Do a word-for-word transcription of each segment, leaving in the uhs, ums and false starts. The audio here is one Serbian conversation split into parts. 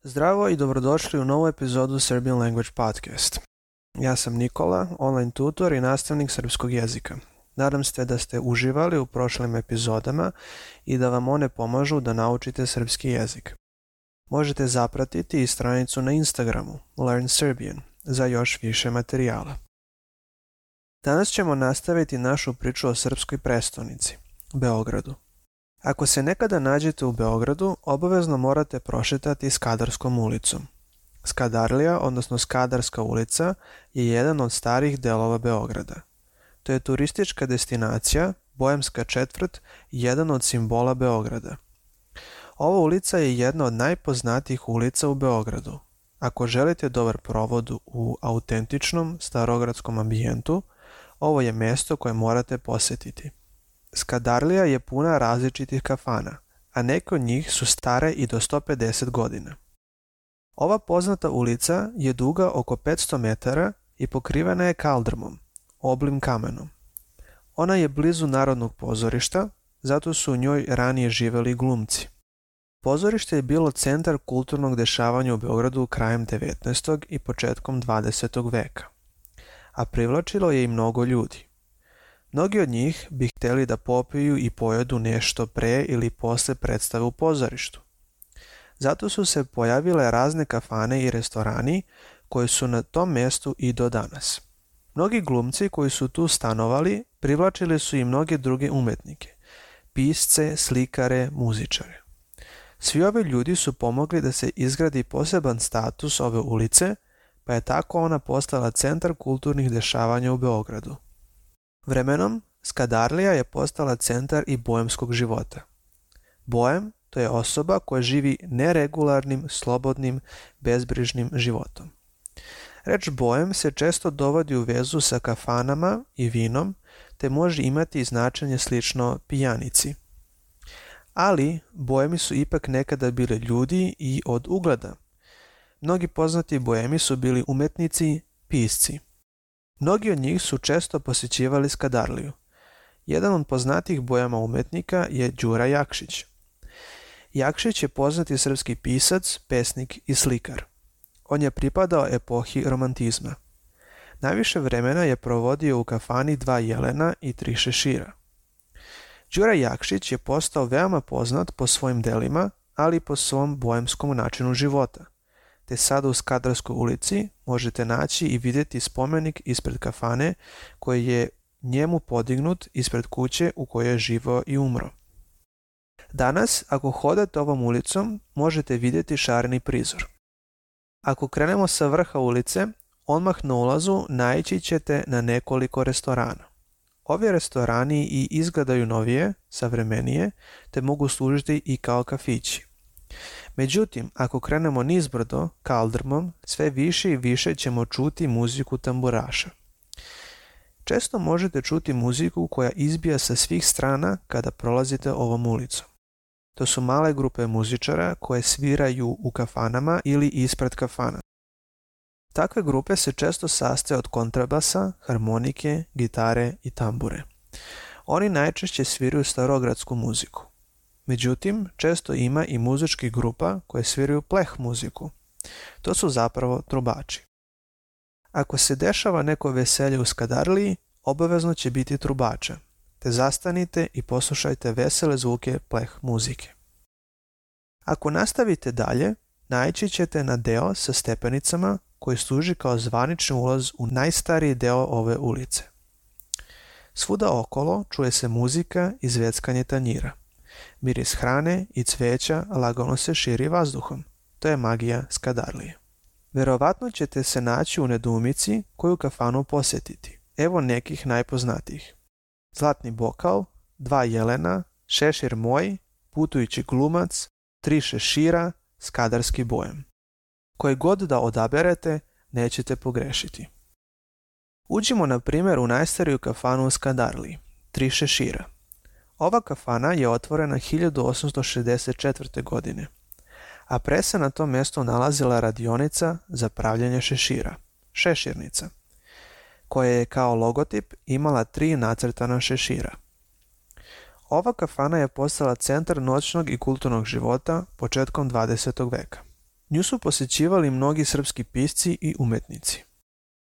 Zdravo i dobrodošli u novu epizodu Serbian Language Podcast. Ja sam Nikola, online tutor i nastavnik srpskog jezika. Nadam se da ste uživali u prošlim epizodama i da vam one pomažu da naučite srpski jezik. Možete zapratiti i stranicu na Instagramu Learn Serbian za još više materijala. Danas ćemo nastaviti našu priču o srpskoj prestonici, Beogradu. Ako se nekada nađete u Beogradu, obavezno morate prošetati Skadarskom ulicom. Skadarlija, odnosno Skadarska ulica, je jedan od starih delova Beograda. To je turistička destinacija, Bojemska četvrt, jedan od simbola Beograda. Ova ulica je jedna od najpoznatijih ulica u Beogradu. Ako želite dobar provod u autentičnom starogradskom ambijentu, ovo je mjesto koje morate posjetiti. Skadarlija je puna različitih kafana, a neke od njih su stare i do sto pedeset godina. Ova poznata ulica je duga oko petsto metara i pokrivena je kaldrmom, oblim kamenom. Ona je blizu Narodnog pozorišta, zato su u njoj ranije živjeli glumci. Pozorište je bilo centar kulturnog dešavanja u Beogradu krajem devetnaestog i početkom dvadesetog veka, a privlačilo je i mnogo ljudi. Mnogi od njih bi htjeli da popiju i pojedu nešto pre ili posle predstave u pozorištu. Zato su se pojavile razne kafane i restorani koji su na tom mjestu i do danas. Mnogi glumci koji su tu stanovali privlačili su i mnoge druge umetnike, pisce, slikare, muzičare. Svi ovi ljudi su pomogli da se izgradi poseban status ove ulice, pa je tako ona postala centar kulturnih dešavanja u Beogradu. Vremenom, Skadarlija je postala centar i bojemskog života. Bojem, to je osoba koja živi neregularnim, slobodnim, bezbrižnim životom. Reč bojem se često dovodi u vezu sa kafanama i vinom, te može imati i značenje slično pijanici. Ali, bojemi su ipak nekada bili ljudi i od ugleda. Mnogi poznati bojemi su bili umetnici, pisci. Mnogi od njih su često posjećivali Skadarliju. Jedan od poznatih bojama umetnika je Đura Jakšić. Jakšić je poznati srpski pisac, pesnik i slikar. On je pripadao epohi romantizma. Najviše vremena je provodio u kafani Dva jelena i Tri šešira. Đura Jakšić je postao veoma poznat po svojim delima, ali i po svom bojemskom načinu života. Te sada u Skadarskoj ulici možete naći i vidjeti spomenik ispred kafane koji je njemu podignut ispred kuće u kojoj je živio i umro. Danas, ako hodate ovom ulicom, možete vidjeti šareni prizor. Ako krenemo sa vrha ulice, odmah na ulazu naići ćete na nekoliko restorana. Ovi restorani i izgledaju novije, savremenije, te mogu služiti i kao kafići. Međutim, ako krenemo nizbrdo, kaldrmom, sve više i više ćemo čuti muziku tamburaša. Često možete čuti muziku koja izbija sa svih strana kada prolazite ovom ulicom. To su male grupe muzičara koje sviraju u kafanama ili ispred kafana. Takve grupe se često sastoje od kontrabasa, harmonike, gitare i tambure. Oni najčešće sviraju starogradsku muziku. Međutim, često ima i muzičkih grupa koje sviraju pleh muziku. To su zapravo trubači. Ako se dešava neko veselje u Skadarliji, obavezno će biti trubača, te zastanite i poslušajte vesele zvuke pleh muzike. Ako nastavite dalje, naići ćete na deo sa stepenicama koji služi kao zvanični ulaz u najstariji deo ove ulice. Svuda okolo čuje se muzika i zveckanje tanjira. Miris hrane i cveća lagano se širi vazduhom. To je magija Skadarlije. Verovatno ćete se naći u nedoumici koju kafanu posjetiti. Evo nekih najpoznatijih. Zlatni bokal, Dva jelena, Šešir moj, Putujući glumac, Tri šešira, Skadarski bojem. Koji god da odaberete, nećete pogrešiti. Uđimo na primjer u najstariju kafanu u Skadarliji, Tri šešira. Ova kafana je otvorena hiljadu osamsto šezdeset četvrte. godine, a pre se na tom mjestu nalazila radionica za pravljenje šešira, šeširnica, koja je kao logotip imala tri nacrtana šešira. Ova kafana je postala centar noćnog i kulturnog života početkom dvadesetog veka. Nju su posjećivali mnogi srpski pisci i umetnici.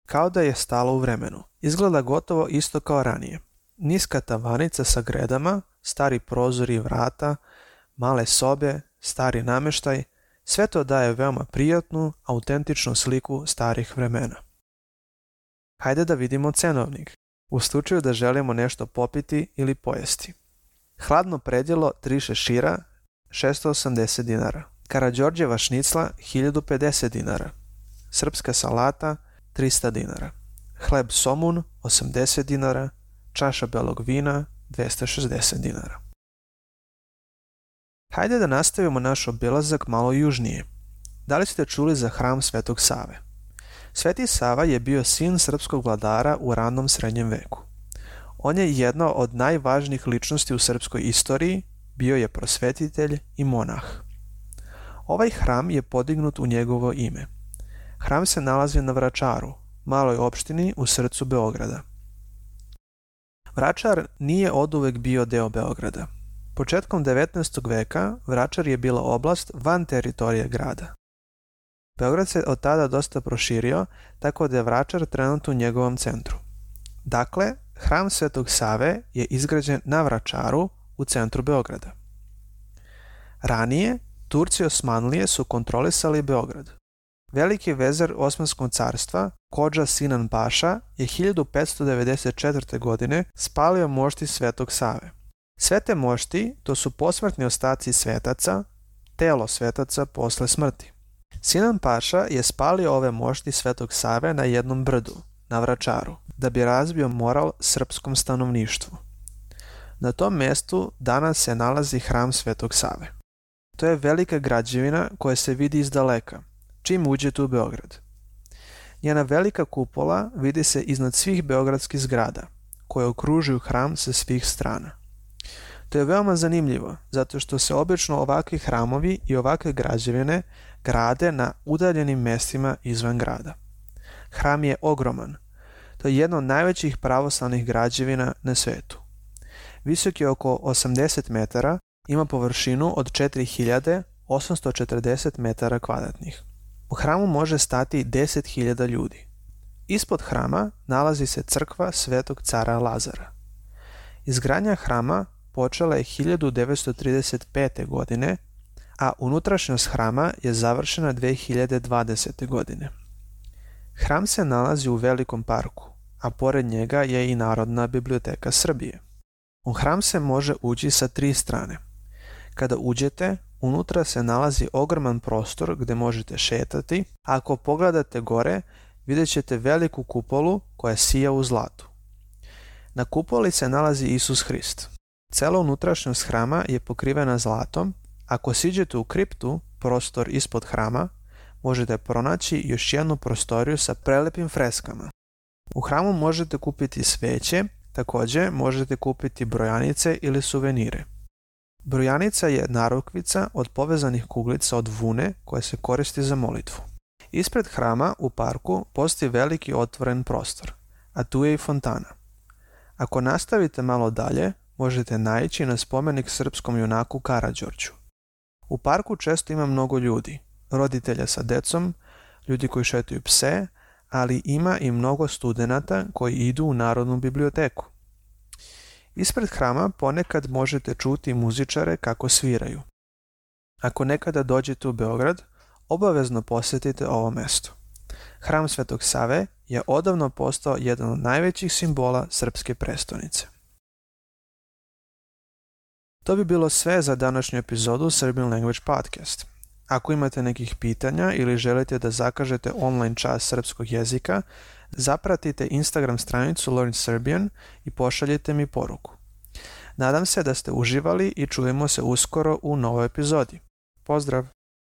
Kao da je stalo u vremenu. Izgleda gotovo isto kao ranije. Niska tavanica sa gredama, stari prozori i vrata, male sobe, stari namještaj, sve to daje veoma prijatnu, autentičnu sliku starih vremena. Hajde da vidimo cenovnik, u slučaju da želimo nešto popiti ili pojesti. Hladno predjelo tri šešira, šesto osamdeset dinara. Karađorđeva šnicla, hiljadu pedeset dinara. Srpska salata, trista dinara. Hleb somun, osamdeset dinara. Čaša belog vina, dvesta šezdeset dinara. Hajde da nastavimo naš obilazak malo južnije. Da li ste čuli za hram Svetog Save? Sveti Sava je bio sin srpskog vladara u ranom srednjem veku. On je jedna od najvažnijih ličnosti u srpskoj istoriji, bio je prosvetitelj i monah. Ovaj hram je podignut u njegovo ime. Hram se nalazi na Vračaru, maloj opštini u srcu Beograda. Vračar nije oduvek bio deo Beograda. Početkom devetnaestog veka Vračar je bila oblast van teritorije grada. Beograd se od tada dosta proširio, tako da je Vračar trenutno u njegovom centru. Dakle, hram Svetog Save je izgrađen na Vračaru u centru Beograda. Ranije, Turci Osmanlije su kontrolisali Beograd. Veliki vezir Osmanskog carstva, Kodža Sinan Paša, je hiljadu petsto devedeset četvrte. godine spalio mošti Svetog Save. Sve te mošti, to su posmrtni ostaci svetaca, telo svetaca posle smrti. Sinan Paša je spalio ove mošti Svetog Save na jednom brdu, na Vračaru, da bi razbio moral srpskom stanovništvu. Na tom mjestu danas se nalazi hram Svetog Save. To je velika građevina koja se vidi iz daleka, čim uđete u Beograd. Njena velika kupola vidi se iznad svih beogradskih zgrada, koje okružuju hram sa svih strana. To je veoma zanimljivo, zato što se obično ovakvi hramovi i ovakve građevine grade na udaljenim mjestima izvan grada. Hram je ogroman. To je jedno od najvećih pravoslavnih građevina na svetu. Visok je oko osamdeset metara, ima površinu od četiri hiljade osamsto četrdeset metara kvadratnih. U hramu može stati deset hiljada ljudi. Ispod hrama nalazi se crkva Svetog cara Lazara. Izgradnja hrama počela je hiljadu devetsto trideset pete. godine, a unutrašnjost hrama je završena dve hiljade dvadesete. godine. Hram se nalazi u velikom parku, a pored njega je i Narodna biblioteka Srbije. U hram se može ući sa tri strane. Kada uđete, unutra se nalazi ogroman prostor gdje možete šetati, a ako pogledate gore, vidjet ćete veliku kupolu koja sija u zlatu. Na kupoli se nalazi Isus Hrist. Cela unutrašnjost hrama je pokrivena zlatom. Ako siđete u kriptu, prostor ispod hrama, možete pronaći još jednu prostoriju sa prelepim freskama. U hramu možete kupiti sveće, također možete kupiti brojanice ili suvenire. Brojanica je narukvica od povezanih kuglica od vune koja se koristi za molitvu. Ispred hrama u parku postoji veliki otvoren prostor, a tu je i fontana. Ako nastavite malo dalje, možete naići na spomenik srpskom junaku Karađorđu. U parku često ima mnogo ljudi, roditelja sa decom, ljudi koji šetaju pse, ali ima i mnogo studenata koji idu u Narodnu biblioteku. Ispred hrama ponekad možete čuti muzičare kako sviraju. Ako nekada dođete u Beograd, obavezno posjetite ovo mjesto. Hram Svetog Save je odavno postao jedan od najvećih simbola srpske prestonice. To bi bilo sve za današnju epizodu Serbian Language Podcast. Ako imate nekih pitanja ili želite da zakažete online čas srpskog jezika, zapratite Instagram stranicu Learn Serbian i pošaljite mi poruku. Nadam se da ste uživali i čujemo se uskoro u novoj epizodi. Pozdrav!